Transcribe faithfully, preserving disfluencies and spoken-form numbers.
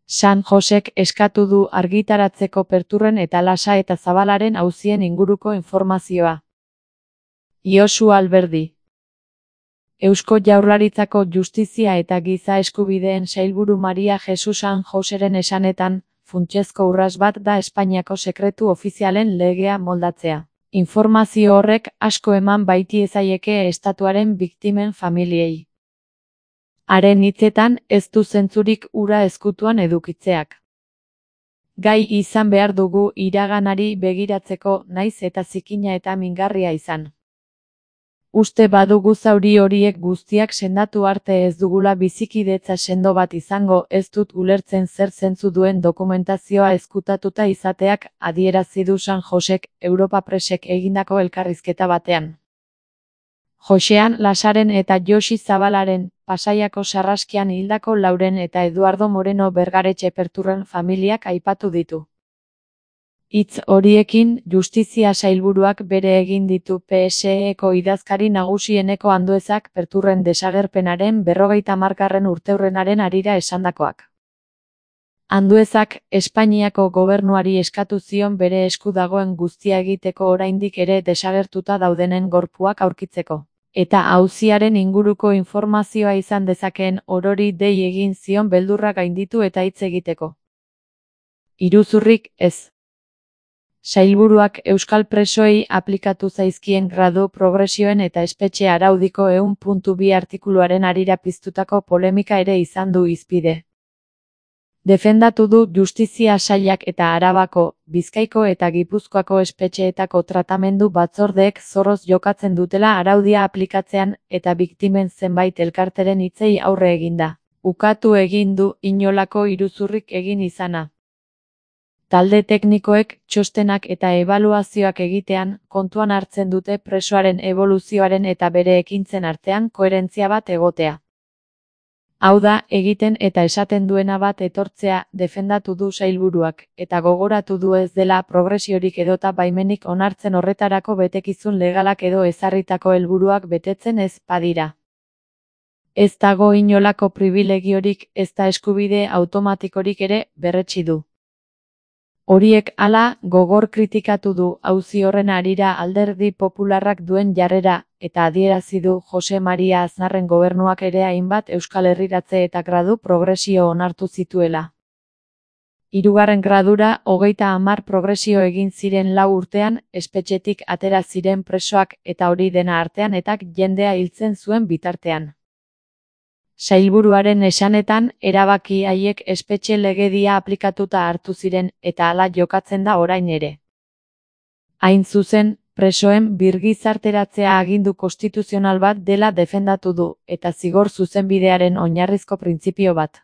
San Josek eskatu du argitaratzeko Perturren eta Lasa eta Zabalaren auzien inguruko informazioa. Josu Alberdi. Eusko Jaurlaritzako Justizia eta Giza Eskubideen sailburu Maria Jesus San Joseren esanetan, funtsezko urrats bat da Espainiako sekretu ofizialen legea moldatzea. Informazio horrek asko eman baitiezaieke estatuaren biktimen familiei. Haren hitzetan, ez du zentzurik hura ezkutuan edukitzeak. Gai izan behar dugu iraganari begiratzeko, naiz eta zikina eta mingarria izan. Uste badugu zauri horiek guztiak sendatu arte ez dugula bizikidetza sendo bat izango, ez dut ulertzen zer zentzu duen dokumentazioa ezkutatuta izateak, adierazi du San Josek, Europa Presek egindako elkarrizketa batean. Josean Lasaren eta Josi Zabalaren, Pasaiako sarraskian hildako Lauren eta Eduardo Moreno Bergaretxe Perturren familiak aipatu ditu. Hitz horiekin, Justizia sailburuak bere egin ditu P S E-ko idazkari nagusieneko Anduezak Perturren desagerpenaren berrogeita hamargarren urteurrenaren harira esandakoak. Anduezak, Espainiako gobernuari eskatu zion bere esku dagoen guztia egiteko oraindik ere desagertuta daudenen gorpuak aurkitzeko, eta auziaren inguruko informazioa izan dezakeen orori dei egin zion beldurra gainditu eta hitz egiteko. Iruzurrik ez. Sailburuak euskal presoei aplikatu zaizkien gradu progresioen eta espetxe araudiko ehun puntu bi artikuluaren harira piztutako polemika ere izan du hizpide. Defendatu du Justizia sailak eta Arabako, Bizkaiko eta Gipuzkoako espetxeetako tratamendu batzordeek zorroz jokatzen dutela araudia aplikatzean eta biktimen zenbait elkarteren hitzei aurre eginda. Ukatu egin du inolako iruzurrik egin izana. Talde teknikoek txostenak eta ebaluazioak egitean kontuan hartzen dute presoaren eboluzioaren eta bere ekintzen artean koherentzia bat egotea. Hau da, egiten eta esaten duena bat etortzea, defendatu du sailburuak, eta gogoratu du ez dela progresiorik edota baimenik onartzen horretarako betekizun legalak edo ezarritako helburuak betetzen ez badira. Ez dago inolako pribilegiorik, ez da eskubide automatikorik ere, berretsi du. Horiek hala, gogor kritikatu du auzi horren harira Alderdi Popularrak duen jarrera, eta adierazi du Jose Maria Aznarren gobernuak ere hainbat Euskal Herriratze eta gradu progresio onartu zituela. Hirugarren gradura, hogeita hamar progresio egin ziren lau urtean, espetxetik atera ziren presoak eta hori dena artean eta jendea hiltzen zuen bitartean. Sailburuaren esanetan, erabaki haiek espetxe legedia aplikatuta hartu ziren eta hala jokatzen da orain ere. Hain zuzen, presoen birgizarteratzea agindu konstituzional bat dela defendatu du, eta zigor zuzenbidearen oinarrizko printzipio bat.